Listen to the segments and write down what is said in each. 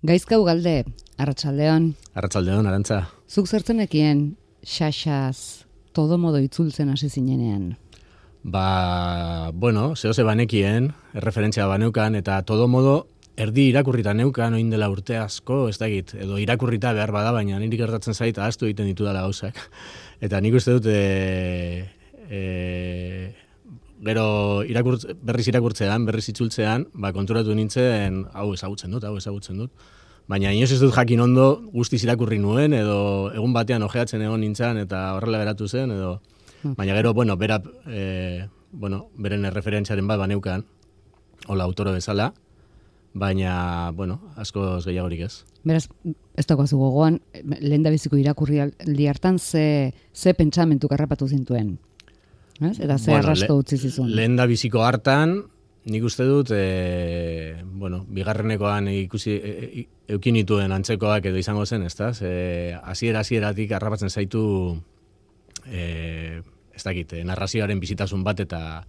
Gaizka Ugalde, Arratsaldeon. Arratsaldeon, Arantza. Zuk zertzenekien xaxaz todo modo itzultzen hasi zinenean? Zehose banekien, erreferentzia baneukan, eta todo modo erdi irakurrita neukan, oin dela urte asko, ez dakit, edo irakurrita behar bada, baina niri gertatzen zait, ahaztu egiten ditu dela gauzak. Eta nik uste dut, gero berriz irakurtzean, berriz itzultzean, konturatu nintzen, hau ezagutzen dut. Baina inoz ez dut jakin ondo guztiz irakurri nuen, edo egun batean ojeatzen egon nintzen, eta horrela geratu zen, edo... Baina gero, beren erreferentziaren bat baneukan, hola autoro bezala, baina, askoz gehiagorik ez. Beraz, ez dagoazu gogoan, lehen da biziko irakurri aldi hartan, ze pentsamentu karrapatu zintuen? Eta ze arrasto utzi zizun? Lehen da biziko hartan, nik uste dut, bigarrenekoan eukin nituen antzekoak edo izango zen, ezta? Hasieratik harrapatzen zaitu, ez dakit, narrazioaren bizitasun bat eta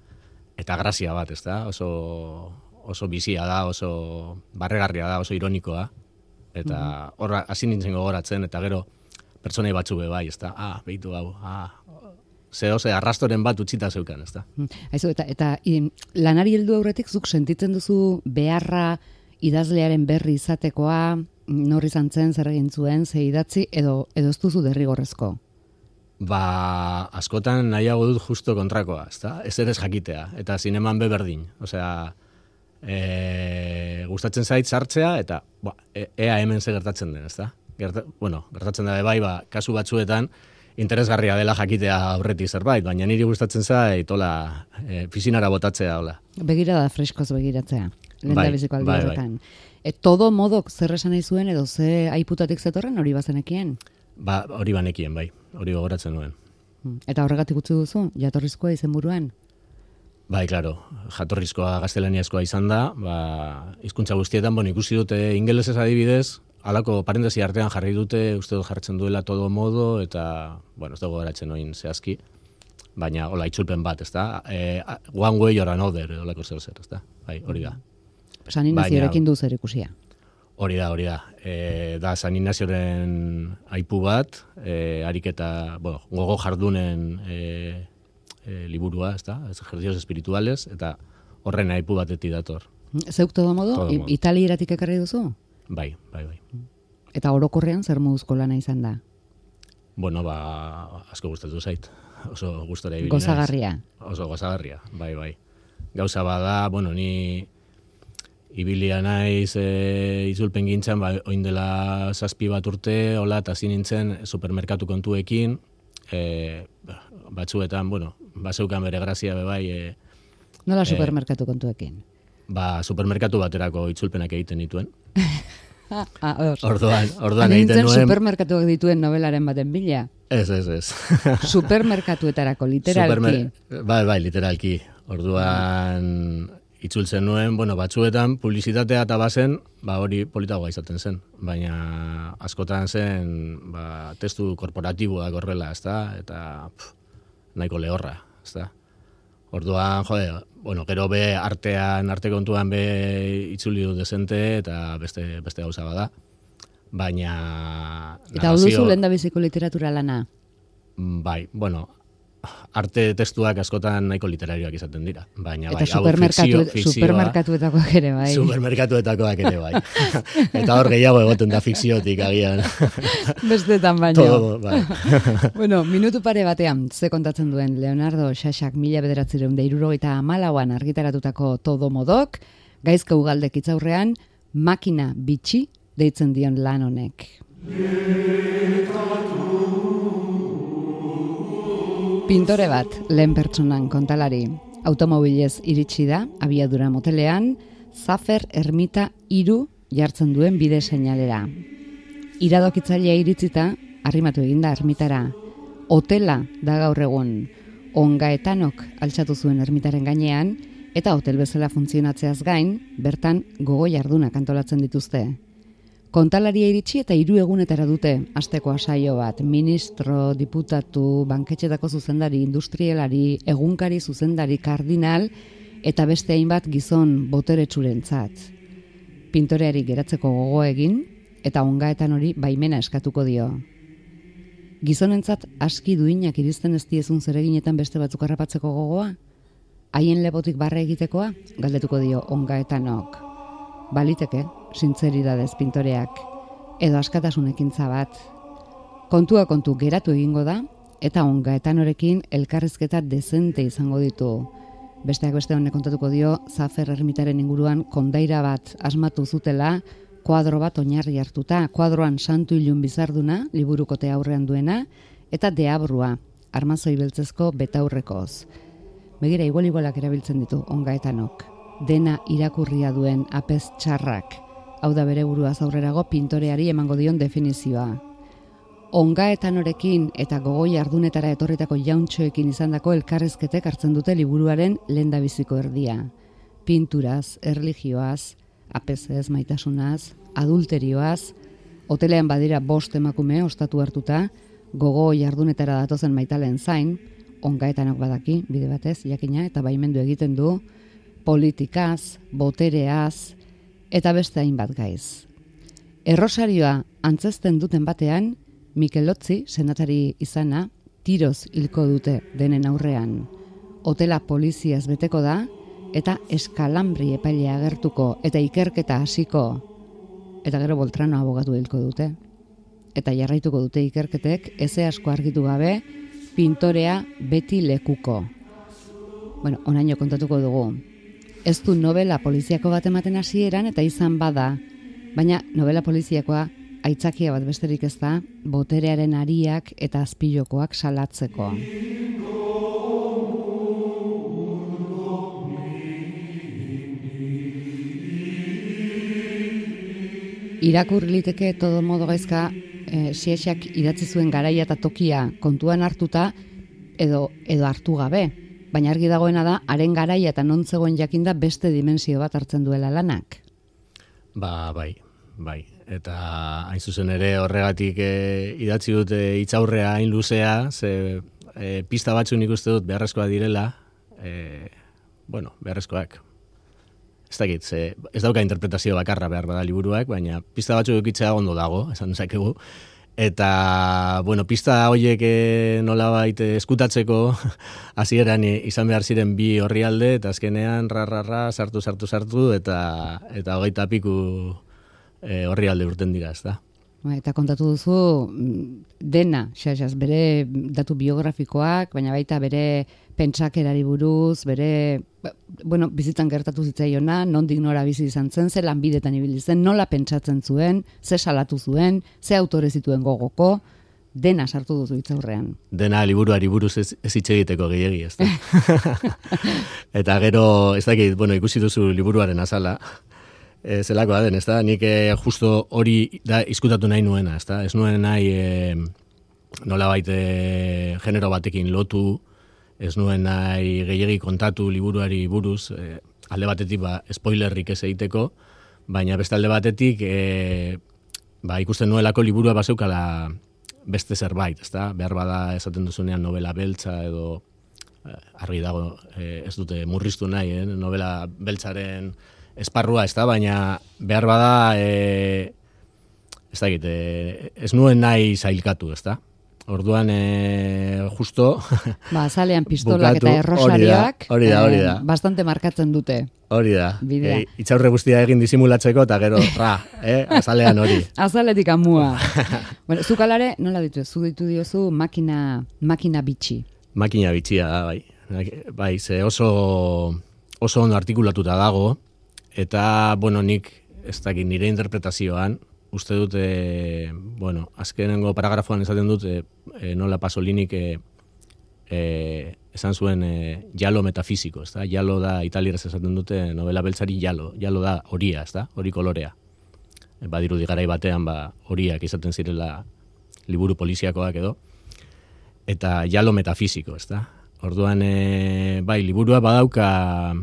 grazia bat, ezta? Oso bizia da, oso barregarria da, oso ironikoa. Eta horra hasi nintzen gogoratzen, eta gero pertsonai batzu bai, ezta? Behitu hau, arrastoren bat utzita zeukan, ezta? Aizu, eta lanari heldu aurretik zuk sentitzen duzu beharra idazlearen berri izatekoa, nor izan zen, zer egin zuen, ze idatzi, edo ez duzu derrigorrezko? Askotan nahiago dut justo kontrakoa, ezta? Ez ere ez jakitea, eta zineman berdin. Osea, gustatzen zait sartzea, eta ea hemen ze gertatzen den, ezta? Gertatzen da bai, kasu batzuetan, interesgarria dela jakitea aurretik zerbait, baina niri gustatzen zait, fizinara botatzea, hola. Begirada freskoz begiratzea, lehen da biziko aldi horretan. Todo modok zer esan nahi zuen, edo ze aiputatik zetorren hori bazenekien? Hori banekien, bai, hori gogoratzen nuen. Eta horregatik utzi duzu, jatorrizkoa izenburuan? Bai, klaro, jatorrizkoa gaztelaniazkoa izan da, hizkuntza guztietan, ikusi dute ingelesez adibidez, halako parentesi artean jarri dute, uste dut jartzen duela todo modo, eta, ez dago garatzen oin zehazki, baina, itzulpen bat, ez da? One way or another, holako zer, ez da? Bai, hori da. San Ignaziorekin du zer ikusia? Hori da. Da San Ignazioren aipu bat, ariketa, gogo jardunen liburua, ez da? Ejercicios espirituales, eta horren aipu batetik dator. Zeuk todo modo, italieratik ekarri duzu? Bai. Eta orokorrean zer moduzko lana izan da? Asko gustatu zait. Oso gustora ibili naiz. Gozagarria. Oso gozagarria, bai. Gauza bada, ni ibilia naiz itzulpen gintzan, oin dela 7 bat urte, eta hasi nintzen supermerkatu kontuekin, batzuetan, bazeukan bere grazia bai. Nola supermerkatu kontuekin? Supermerkatu baterako itzulpenak egiten dituen. Orduan egiten nuen... supermerkatuak dituen novelaren baten bila? Ez. Supermerkatuetarako, literalki? Bai, literalki. Orduan itzultzen nuen, batzuetan publizitatea eta bazen, hori politagoa izaten zen. Baina askotan zen, testu korporatiboak horrela, ezta? Eta nahiko lehorra, ezta? Orduan, gero be arte kontuan be itzuli du desente eta beste gauza bada. Baina... Eta hau duzu lehen da biziko literatura lana? Bai, arte testuak askotan nahiko literarioak izaten dira. Baina eta supermerkatuetakoak ere bai. Supermerkatuetakoak ere bai. Eta hor gehiago egoten da fikziotik agian. Bestetan baino. Todo, bai. Minutu pare batean, ze kontatzen duen Leonardo Xaxak 1974an argitaratutako Todo modok, Gaizka Ugaldek hitzaurrean, makina bitxi deitzen dion lan honek. Pintore bat, lehen pertsonan kontalari. Automobilez iritsi da, abiadura motelean, Zafer Ermita 3 jartzen duen bide seinalera. Iradokitzailea iritzita, arrimatu eginda ermitara. Hotela da gaur egun. Ongaetanok altxatu zuen ermitaren gainean, eta hotel bezala funtzionatzeaz gain, bertan gogo jardunak antolatzen dituzte. Kontalaria iritsi eta 3 egunetara dute asteko asaio bat. Ministro, diputatu, banketxetako zuzendari, industrialari, egunkari zuzendari, kardinal, eta beste hainbat gizon boteretsurentzat. pintoreari geratzeko gogo egin eta ongaetan hori baimena eskatuko dio. Gizonentzat aski duinak iristen ez diezun zereginetan beste batzuk harrapatzeko gogoa? Haien lebotik barre egitekoa? Galdetuko dio ongaetanok. Baliteke, sintzeridadez pintoreak, edo askatasunekintza bat. Kontua kontu geratu egingo da, eta ongaetanorekin elkarrizketa dezente izango ditu. Besteak beste honek kontatuko dio, Zafer ermitaren inguruan kondaira bat asmatu zutela, kuadro bat oinarri hartuta, kuadroan Santu Ilun Bizarduna, liburukote aurrean duena, eta Deabrua, armazoi beltzezko betaurrekoz. Begira, igualak erabiltzen ditu ongaetanok. Dena irakurria duen apez txarrak, hau da bere buruaz aurrerago pintoreari emango dion definizioa. Ongaetanorekin eta gogo jardunetara etorritako jauntxoekin izandako elkarrezketek hartzen dute liburuaren lehendabiziko erdia. Pinturaz, erlijioaz, apezez, maitasunaz, adulterioaz, hotelean badira 5 emakume ostatu hartuta, gogo jardunetara datozen maitalen zain, ongaetanok badaki, bide batez, jakina, eta baimendu egiten du, politikaz, botereaz, eta beste hainbat gaiz. Errosarioa antzesten duten batean, Mikel Lotzi, senatari izana, tiroz hilko dute denen aurrean. Hotela poliziaz beteko da, eta eskalambri epailea agertuko, eta ikerketa hasiko, eta gero Boltrano abogatu hilko dute. Eta jarraituko dute ikerketek, eze asko argitu gabe, pintorea beti lekuko. Bueno, onaino kontatuko dugu. Ez du novela poliziako bat ematen hasieran eta izan bada, baina novela poliziakoa aitzakia bat besterik ez da, boterearen ariak eta azpilokoak salatzeko. Irakur liteke todo modo gaizka Siexak idatzi zuen garaia eta tokia kontuan hartuta edo hartu gabe. Baina argi dagoena da, haren garaia eta non zegoen jakinda beste dimensio bat hartzen duela lanak. Bai. Eta hain zuzen ere horregatik idatzi dut hitzaurrea hain luzea, ze pista batzu nik uste dut beharrezkoa direla, beharrezkoak. Ez dakit, ez dauka interpretazio bakarra behar bada liburuak, baina pista batzu edukitzea ondo dago, esan dezakegu. Eta, pista horiek nolabait eskutatzeko hasieran izan behar ziren 2 orrialde, eta azkenean sartu, eta 20 piku orrialde urten dira, ez da. Eta kontatu duzu dena, xaxaz, bere datu biografikoak, baina baita bere pentsakerari buruz, bere, bizitzan gertatu zitzaiona, nondik nora bizi izan zen, ze lanbidetan ibili zen, nola pentsatzen zuen, ze salatu zuen, ze autore zituen gogoko, dena sartu duzu hitzaurrean. Dena liburuari buruz ez hitz egiteko gehiegi, ez da. Eta gero, ez dakit, ikusi duzu liburuaren azala, zelakoa den, ez da, nik justo hori da izkutatu nahi nuena, ez da, ez nuen nahi nolabait genero batekin lotu, ez nuen nahi gehiegi kontatu liburuari buruz, alde batetik spoilerrik ez egiteko, baina beste alde batetik ikusten nuelako liburua bazeukala beste zerbait, ez da, behar bada esaten duzunean novela beltza edo argi dago ez dute murriztu nahi, novela beltzaren esparrua, ez da, baina behar bada ez dakit, ez nuen nahi zailkatu, ez da. Orduan, justo... azalean pistolak eta errosarioak hori da. Bastante markatzen dute. Hori da. Itxaurre guztia egin disimulatzeko, eta gero, azalean hori. Azaletik amua. Zuk alare, nola ditu? Zu ditu diozu makina bitxi. Makina bitxia da, bai. Bai, ze oso ondo artikulatuta dago, eta, nik, ez dakit, nire interpretazioan, uste dut, azkenengo paragrafoan esaten dut, nola Pasolinik esan zuen jalo metafisiko, ez da? Jalo da, italieraz esaten dute, novela beltzari jalo da horia, ez da? Hori kolorea. Badirudi garai batean, horiak izaten zirela liburu poliziakoak edo, eta jalo metafisiko, ez da? Orduan, liburua badauka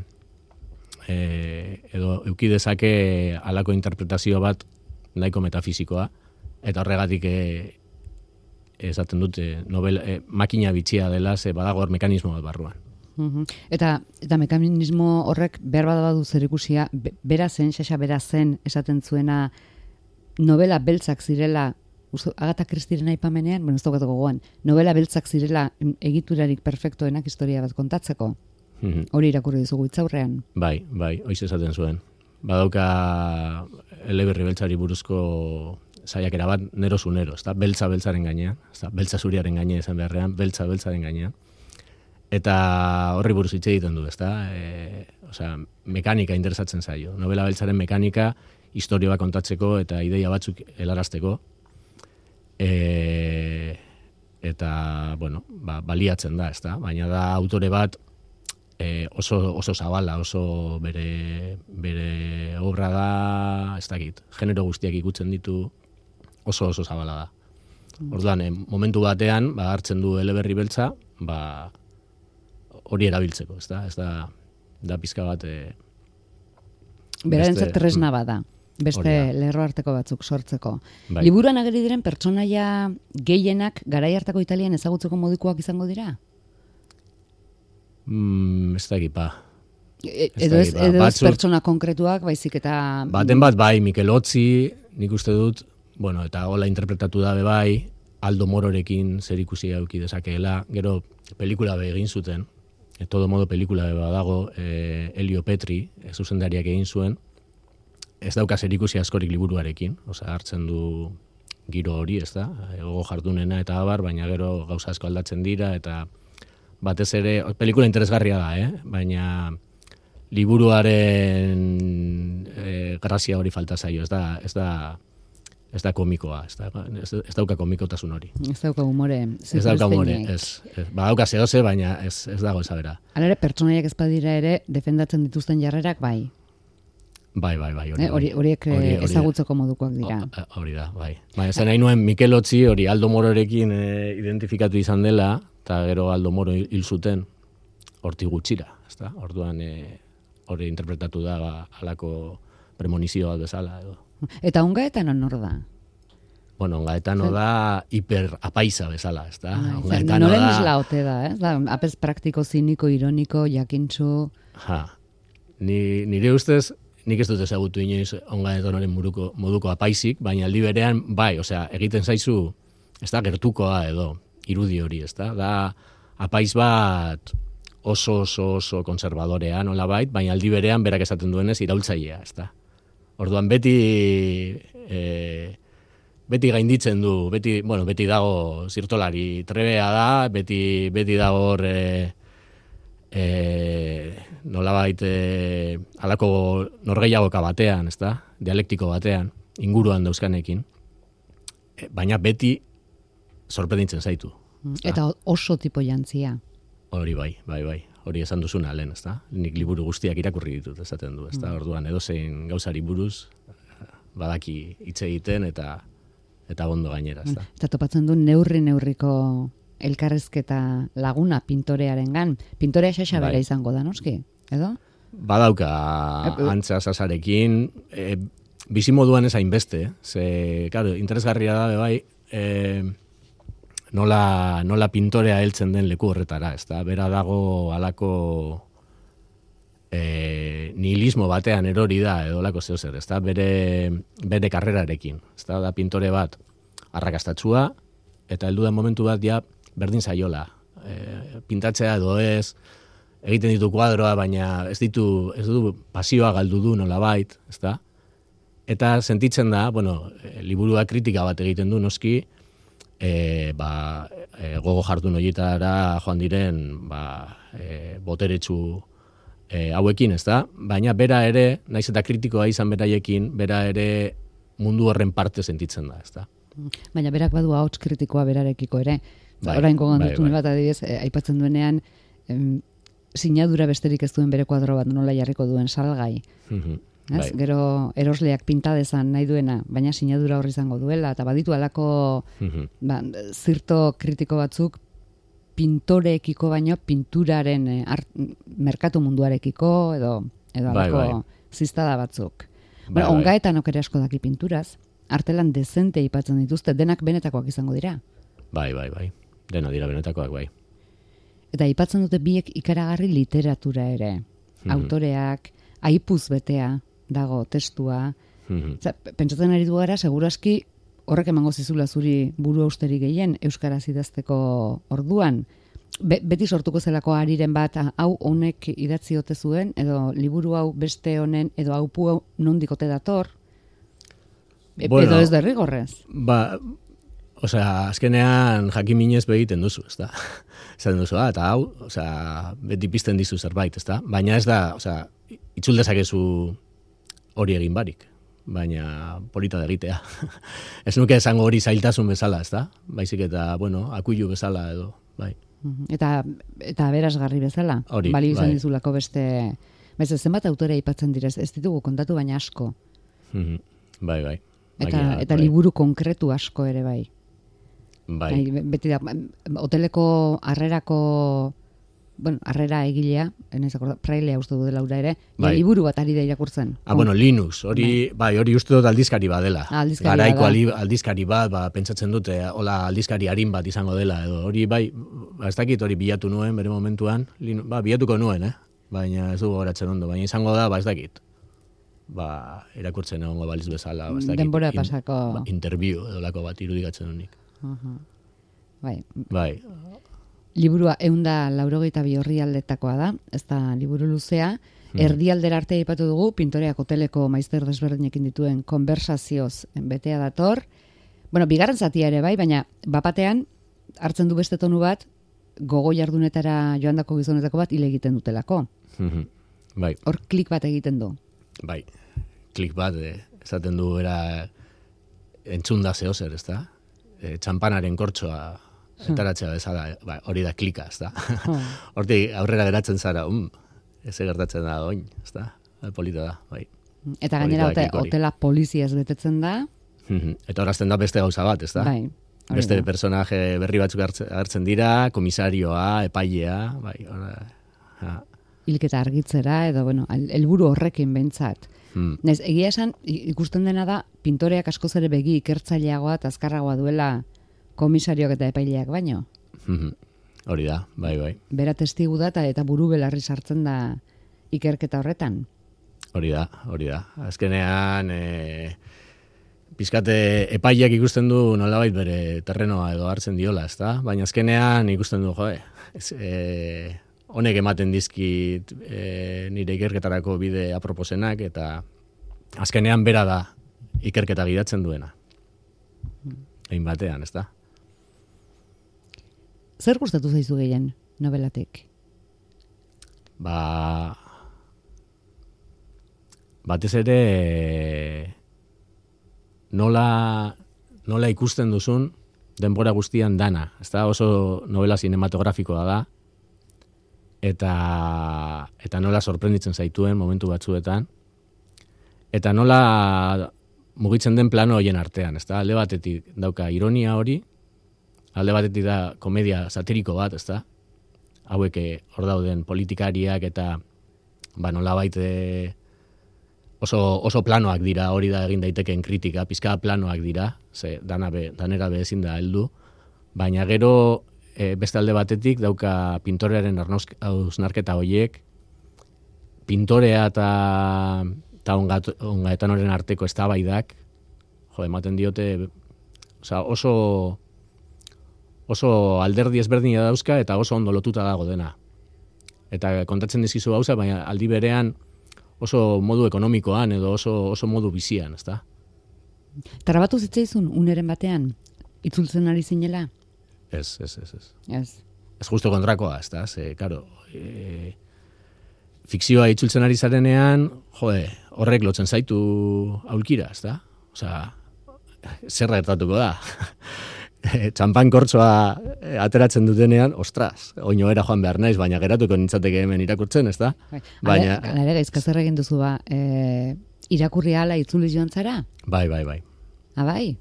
edo euki dezake halako interpretazio bat nahiko metafisikoa, eta horregatik esaten dute makina bitxia dela, ze badago hor mekanismo bat barruan. Eta mekanismo horrek behar badu zerikusia, Xaxa bera zen esaten zuena novela beltzak zirela, Agatha Christieren aipamenean, ez daukat gogoan, novela beltzak zirela egiturarik perfektoenak historia bat kontatzeko. Hori irakurri dizugu hitzaurrean. Bai, hoiz esaten zuen. Badauka eleberri beltzari buruzko saiakera bat, nero zu nero, beltza beltzaren gainean, beltza zuriaren gainean izan beharrean, beltza beltzaren gainean. Eta horri buruz hitz egiten du, mekanika interesatzen zaio. Novela beltzaren mekanika, historia bat kontatzeko eta ideia batzuk helarazteko. Eta, baliatzen da, baina da autore bat oso zabala, oso bere obra da, ez dakit, genero guztiak ikutzen ditu, oso zabala da. Orduan, momentu batean, hartzen du eleberri beltza, hori erabiltzeko, ez da pizka bat... Berarentzat tresna bada. Beste lerro arteko batzuk sortzeko. Bai. Liburuan ageri diren pertsonaia gehienak garai hartako Italian ezagutzeko modukoak izango dira? Ez da egipa. Edo ez pertsona konkretuak, baizik eta... Baten bat, bai, Mikel Otzi, nik uste dut, eta hola interpretatu dabe bai, Aldo Mororekin zer ikusi eduki dezakeela, gero pelikula be egin zuten, todo modo pelikula be badago, Elio Petri, zuzendariak egin zuen, ez dauka zerikusi askorik liburuarekin, hartzen du giro hori, ez da, gogo jardunena eta abar, baina gero gauza asko aldatzen dira, eta batez ere, pelikula interesgarria da, baina liburuaren grazia hori falta zaio, ez da komikoa, ez dauka komikotasun hori. Ez dauka humore. Ez dauka humore, ez. Badauka zehose, baina ez dago ezabera. Hala ere, pertsonaiak ez badira ere, defendatzen dituzten jarrerak, bai. Bai, horiek ezagutzeko modukoak dira. Hori da, bai. Zen nahi nuen Mikel Otzi hori Aldo Mororekin identifikatu izan dela, eta gero Aldo Moro hil zuten hortik gutxira. Orduan hori interpretatu da halako premonizioa bezala. Eta Ongaetano nor da? Ongaetano da hiperapaisa bezala. Noren isla ote da, apez praktiko, ziniko, ironiko, jakintxu... Nire ustez, nik ez dut ezagutu inoiz Ongaetanoren moduko apaisik, baina aldi berean, bai, egiten zaizu, ez da, gertukoa edo, irudi hori, ez da, apaiz bat oso konservadorea nola bait, baina aldi berean berak esaten duenez iraultzailea, ez da. Orduan beti gainditzen du, beti dago zirtolari trebea da, beti dago hor nolabait halako norgehiagoka batean, ez da, dialektiko batean, inguruan dauzkanekin, baina beti sorprenditzen zaitu. Eta oso tipo jantzia. Hori bai. Hori esan duzuna lehen, ez da? Nik liburu guztiak irakurri ditut, esaten du, ez da? Orduan edozein gauzari buruz badaki hitz egiten eta ondo gainera, ez da? Eta topatzen du neurriko elkarrezketa laguna pintorearengan. Pintorea Xaxa bera izango da, noski? Edo? Badauka antza sasarekin, bizimoduan ez hainbeste, claro, interesgarria da, bai, nola pintorea heltzen den leku horretara, ez da? Bera dago halako nihilismo batean erori da, edo lako zehozer, ez da? Bere karrerarekin, ez da pintore bat arrakastatsua, eta heldu den momentu bat ja berdin zaiola. Pintatzea edo ez, egiten ditu kuadroa, baina ez du pasioa galdu du nolabait, ez da? Eta sentitzen da, liburua kritika bat egiten du, noski, gogo jardun horietara joan diren boteretsu hauekin, ez da? Baina bera ere, naiz eta kritikoa izan beraiekin, bera ere mundu horren parte sentitzen da, ez da? Baina berak badu ahots kritikoa berarekiko ere. Orain gogoan dut bat adibidez, aipatzen duenean, sinadura besterik ez duen bere kuadro bat nola jarriko duen salgai. Gero erosleak pinta dezan nahi duena, baina sinadura horri izango duela, eta baditu alako zirto kritiko batzuk pintoreekiko baino pinturaren merkatu munduarekiko edo alako ziztada batzuk. Ongaetanok ere asko daki pinturaz, artelan dezente ipatzen dituzte, denak benetakoak izango dira. Bai. Dena dira benetakoak, bai. Eta aipatzen dute biek ikaragarri literatura ere. Autoreak, aipuz betea dago testua. Pentsatzen ari du gara, seguraski horrek emango zizula zuri buru austeri gehien euskaraz idazteko orduan. Beti sortuko zelako ariren bat, hau honek idatzi ote zuen, edo liburu hau beste honen, edo haupu hau nondikote dator, edo ez derrigorrez. Azkenean jakiminez begiten duzu, ez da? Esaten duzu, eta hau, beti pizten dizu zerbait, ez da? Baina ez da, itzul dezakezu hori egin barik, baina polita da egitea. Ez nuke esango hori zailtasun bezala, ez da? Baizik eta, akuilu bezala edo, bai. Eta aberasgarri bezala, balio izan dizulako beste zenbat autore aipatzen direz, ez ditugu kontatu baina asko. Bai. Eta liburu konkretu asko ere bai. Bai. Beti da, hoteleko harrera egilea, prailea uste du dela ura ere, liburu bat ari da irakurtzen. Linux, hori uste dut aldizkari bat dela. Garaiko aldizkari bat, pentsatzen dute, hola aldizkari harin bat izango dela, edo hori ez dakit hori bilatu nuen, bere momentuan, bilatuko nuen, baina ez dugu horatzen ondo, baina izango da, ez dakit. Irakurtzen egongo baliz bezala, ez dakit. Denbora pasako. Interview edo lako bat irudikatzen honik. Bai. Liburua 182 orrialdetakoa da, ez da liburu luzea. Erdialdera arte aipatu dugu, pintoreak hoteleko maizter desberdinekin dituen konversazioz betea dator. Bigarren zatia ere bai, baina bapatean hartzen du beste tonu bat, gogo jardunetara joandako gizonetako bat hile egiten dutelako. Bai. Hor klik bat egiten du. Bai, klik bat, esaten du era entzunda zehozer, ez da? Txampanaren kortsoa etaratzea bezala, hori da klika, ez da? Hortik aurrera geratzen zara, ez gertatzen da oin, ez da? Polita da, bai. Eta gainera hotela poliziaz betetzen da. Eta horazten da beste gauza bat, ez da? Bai. Beste personaje berri batzuk hartzen dira, komisarioa, epailea, bai, hilketa argitzera, edo, helburu horrekin behintzat. Egia esan, ikusten dena da, pintoreak askoz ere begi ikertzaileagoa eta azkarragoa duela komisarioak eta epaileak baino. Hori da, bai. Bera testigu da eta buru belarri sartzen da ikerketa horretan. Hori da. Azkenean, pizkate epaileak ikusten du nolabait bere terrenoa edo hartzen diola, ez da? Baina azkenean ikusten du, honek ematen dizkit nire ikerketarako bide aproposenak, eta azkenean bera da ikerketa gidatzen duena. Egin batean, ez da? Zer gustatu zaizu gehien nobelatik? Batez ere nola ikusten duzun denbora guztian dana. Ez da, oso novela cinematografikoa da, eta nola sorprenditzen zaituen momentu batzuetan, eta nola mugitzen den plano horien artean, ez da, alde batetik dauka ironia hori, alde batetik da komedia satiriko bat, ez da, hauek hor dauden politikariak eta nolabait oso planoak dira, hori da egin daitekeen kritika, pizka planoak dira, ze danera ezin da heldu, baina gero beste alde batetik dauka pintorearen hausnarketa horiek, pintorea eta ongaetanoren arteko eztabaidak, ematen diote, oso alderdi ezberdina dauzka eta oso ondo lotuta dago dena. Eta kontatzen dizkizu gauza, baina aldi berean oso modu ekonomikoan edo oso modu bizian, ezta? Trabatu zitzaizun uneren batean, itzultzen ari zinela? Ez. Ez justo kontrakoa, ezta? Karo, fikzioa itzultzen ari zarenean, horrek lotzen zaitu aulkira, ezta? Zerra gertatuko da. Txampan kortsoa ateratzen dutenean, ostras, oinoera joan behar naiz, baina geratuko nintzateke hemen irakurtzen, ez da? Baina gaizka zer egin duzu irakurri ala itzuli joan zara? Bai. Bai? Bai.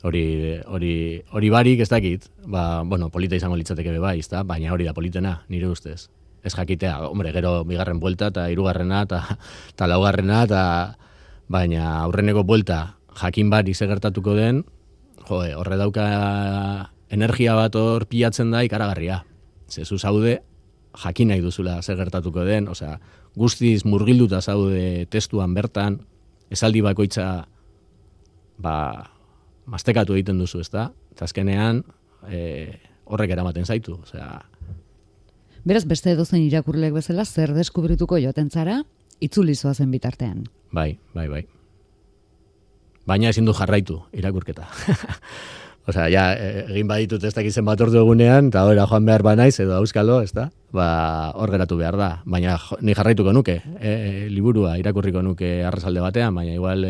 Hori barik ez dakit, polita izango litzateke bai, ez da? Baina hori da politena, nire ustez. Ez jakitea, gero bigarren buelta eta hirugarrena eta laugarrena, baina aurreneko buelta jakin barik ze gertatuko den, horre dauka energia bat hor pilatzen da ikaragarria. Zezu zaude, jakin nahi duzula zer gertatuko den, osea, guztiz murgilduta zaude testuan bertan, esaldi bakoitza mastekatu egiten duzu, ezta? Eta azkenean horrek eramaten zaitu, osea. Beraz, beste edozein irakurleek bezala, zer deskubrituko joaten zara, itzuli zoazen bitartean. Bai. Baina ezin du jarraitu irakurketa. Osea, ja, egin baditut ez dakizen bat ordu egunean, eta hori joan behar banaiz, edo auskalo, ez da? Hor geratu behar da. Baina ni jarraituko nuke, liburua irakurriko nuke arrasalde batean, baina igual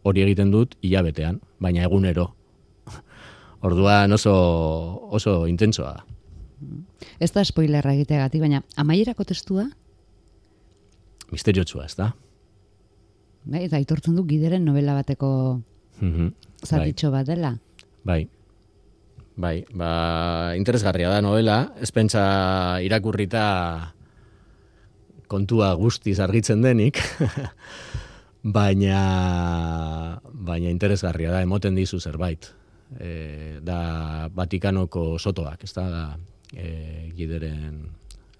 hori egiten dut hilabetean, baina egunero. Orduan oso intentsoa da. Ez da spoilerra egiteagatik, baina amaierako testua? Misteriotsua, ez da? Eta aitortzen du Gideren novela bateko zatitxo bat dela? Bai, interesgarria da novela, ez pentsa irakurrita kontua guztiz argitzen denik, baina interesgarria da, emoten dizu zerbait. Da Vatikanoko sotoak, ez da Gideren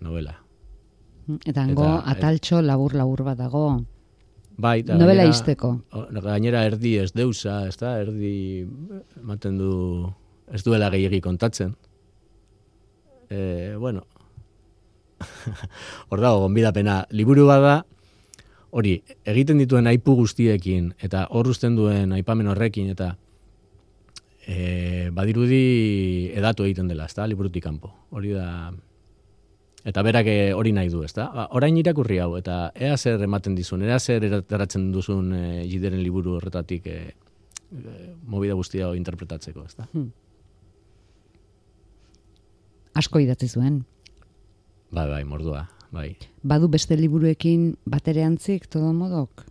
novela. Eta hango ataltxo labur bat dago. Bai, novela izteko. Gainera erdi ez deusa, ez da, erdi ematen du, ez duela gehiegi kontatzen. Bueno, hor dago, gonbidapena, liburu bada, hori, egiten dituen aipu guztiekin, eta hor uzten duen aipamen horrekin, eta badirudi edatu egiten dela, ez da, liburutik kanpo. Hori da, eta berak hori nahi du, ez da? Orain irakurri hau, eta ea zer ematen dizun, ea zer erataratzen duzun Gideren liburu horretatik movida guztia interpretatzeko, ez da? Asko idatzi zuen. Bai, mordua, bai. Badu beste liburuekin batere antzik, todo modok?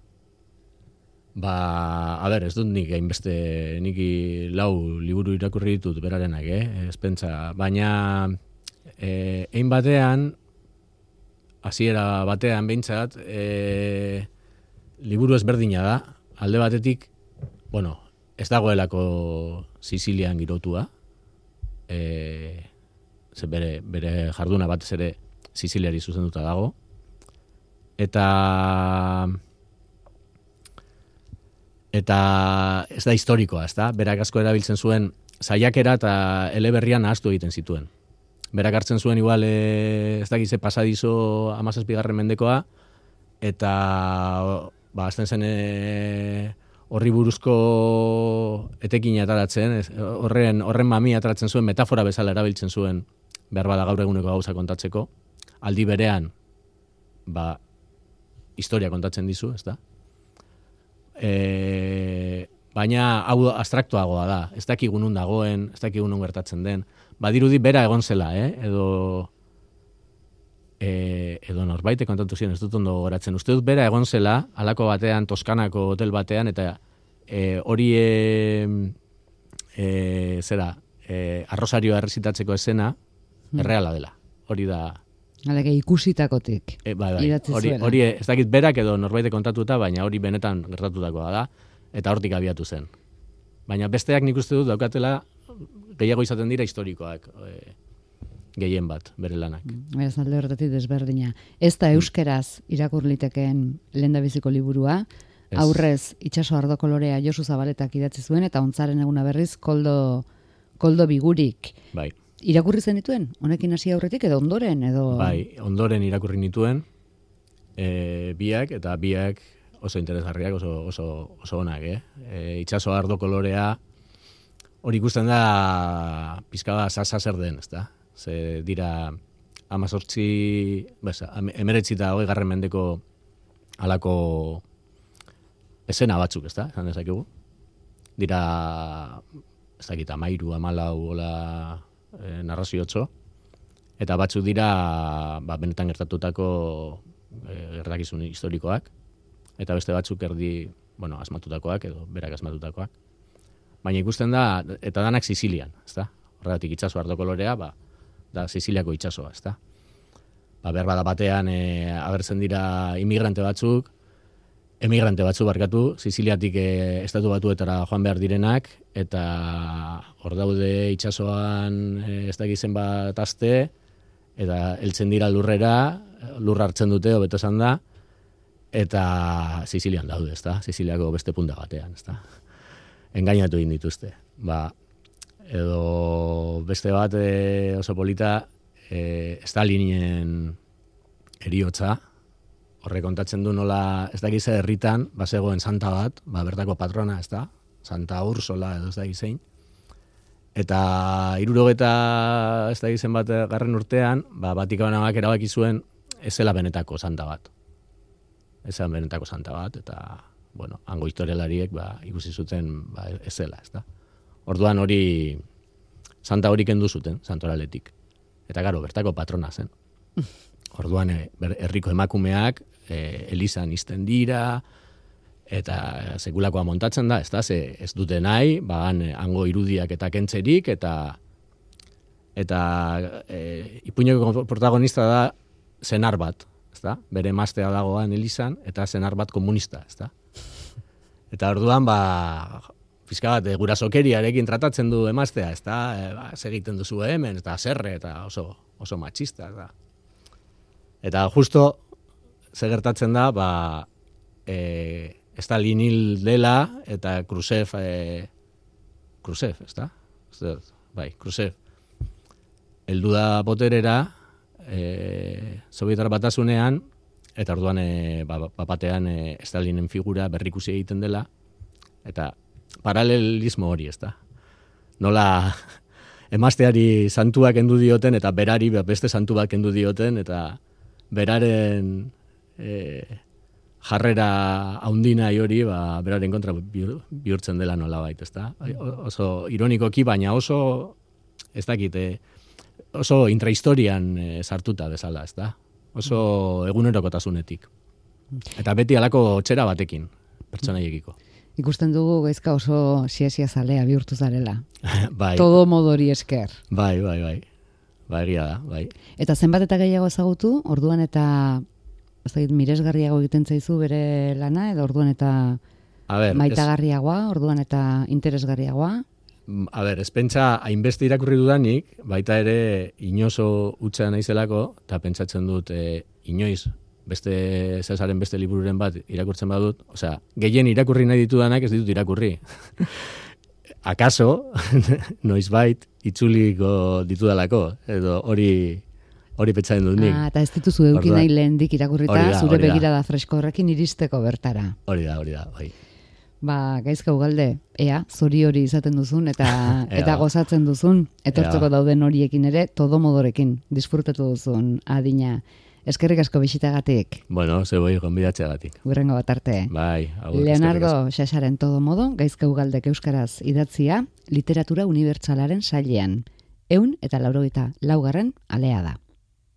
Ez dut nik hainbeste, nik 4 liburu irakurri ditut berarenak, ez pentsa, baina egin batean, hasiera batean behintzat, liburu ezberdina da, alde batetik, bueno, ez dagoelako Sizilian girotua, bere jarduna batez ere Siziliari zuzenduta dago, eta ez da historikoa, ez da? Berak asko erabiltzen zuen saiakera eta eleberrian ahaztu egiten zituen. Berak hartzen zuen igual, ez dakize pasadizo 17. mendekoa, eta azten zen horri buruzko etekina ataratzen, horren mamia ataratzen zuen, metafora bezala erabiltzen zuen, behar bada gaur eguneko gauza kontatzeko, aldi berean, historia kontatzen dizu, ez da? Baina hau abstraktuagoa da, ez dakigu nun dagoen, ez dakigu nun gertatzen den, badirudi bera egon zela, edo norbaite kontatu ziren, ez dut ondo goratzen. Uste dut bera egon zela, halako batean, Toskanako hotel batean, eta hori arrosarioa errezitatzeko esena, erreala dela. Hori da... Alege ikusitakotik. Hori ez dakit berak edo norbaite kontatuta, baina hori benetan gertatutakoa da, eta hortik abiatu zen. Baina besteak nik uste dut daukatela gehiago izaten dira historikoak gehien bat, bere lanak. Beraz, alde horretatik desberdina. Ez da euskeraz irakurlitekeen lehendabiziko liburua, aurrez itsaso ardo kolorea Josu Zabaletak idatzi zuen, eta Ontzaren eguna berriz Koldo Bigurik. Bai. Irakurri zenituen? Honekin hasi aurretik edo ondoren? Bai, ondoren irakurri nituen, biak oso interesgarriak, oso onak, itsaso ardo kolorea, hori ikusten da pizka bat zer den, ez da? Ze dira 19 eta 20. mendeko halako esena batzuk, ez da? Esan dezakegu. Dira, ez dakit, 13, 14, hola narraziotxo, eta batzuk dira benetan gertatutako gertakizun historikoak, eta beste batzuk asmatutakoak, edo berak asmatutakoak. Baina ikusten da, eta danak Sizilian, ezta? Horregatik itsaso ardo kolorea, da Siziliako itsasoa, ezta? Behar bada batean agertzen dira inmigrante batzuk, emigrante batzu barkatu, Siziliatik estatu batuetara joan behar direnak, eta hor daude itsasoan ez dakizen bat aste, eta heltzen dira lurrera, lur hartzen dute, hobeto esan da, eta Sizilian daude, ezta? Siziliako beste punta batean, ezta? Engainatu egin dituzte. Edo beste bat oso polita, Stalinen heriotza, horre kontatzen du nola, ez dakize herritan, bazegoen santa bat, bertako patrona, ez da? Santa Ursola edo ez dakizein. Eta 70 ez dakizen bat garren urtean, Vatikanoak erabaki zuen ez zela benetako santa bat. Ez zela benetako santa bat, eta, bueno, hango historialariek ikusi zuten ez zela, ez da? Orduan hori, santa hori kendu zuten, santoraletik. Eta gero, bertako patrona zen. Orduan, herriko emakumeak, elizan izten dira, eta sekulakoa montatzen da, ez dute nahi, hango irudiak eta kentzerik, eta ipuineko protagonista da senar bat, bere emaztea dagoan elizan, eta senar bat komunista, Eta orduan, pizka bat, gurasokeriarekin tratatzen du emaztea, segiten duzu hemen, eta zerre, eta oso matxista, Eta justo, gertatzen da, Stalin hil dela, eta Khrushchev, Khrushchev, heldu da boterera, Sovietar Batasunean, eta orduan, batean, Stalinen figura berrikusi egiten dela, eta paralelismo hori, Nola emazteari santuak kendu dioten, eta berari beste santu bat kendu dioten, eta beraren jarrera haundinai hori, beraren kontra bihurtzen dela nolabait, Oso ironikoki, baina oso, ez dakit, oso intrahistorian sartuta bezala, Oso egunerokotasunetik. Eta beti halako txera batekin, pertsonaiekiko. Ikusten dugu gaizka oso sia zalea bihurtu zarela. Bai. Todo modori esker. Bai. Egia da, bai. Eta zenbat eta gehiago ezagutu, orduan eta miresgarriago egiten zaizu bere lana, edo orduan eta maitagarriagoa, orduan eta interesgarriagoa? Ez pentsa, hainbeste irakurri dudanik, baita ere inozo utza naizelako, eta pentsatzen dut inoiz, beste Cesaren beste libururen bat irakurtzen badut, gehien irakurri nahi ditudanak ez ditut irakurri. Akaso, noizbait, itzuliko ditudalako, edo hori pentsatzen dut nik. Eta ez dituzu eduki nahi lehendik irakurrita, zure begirada fresko horrekin iristeko bertara. Hori da, bai. Gaizka Ugalde, zori hori izaten duzun, eta gozatzen duzun, etortzeko dauden horiekin ere, todo modorekin, disfrutatu duzun adina. Eskerrik asko bisitagatik. Bueno, zeboi gonbidatzeagatik. Hurrengo bat arte. Bai, Leonardo Xaxaren todo modo, Gaizka Ugaldek euskaraz idatzia, literatura unibertsalaren sailean. 184. alea da.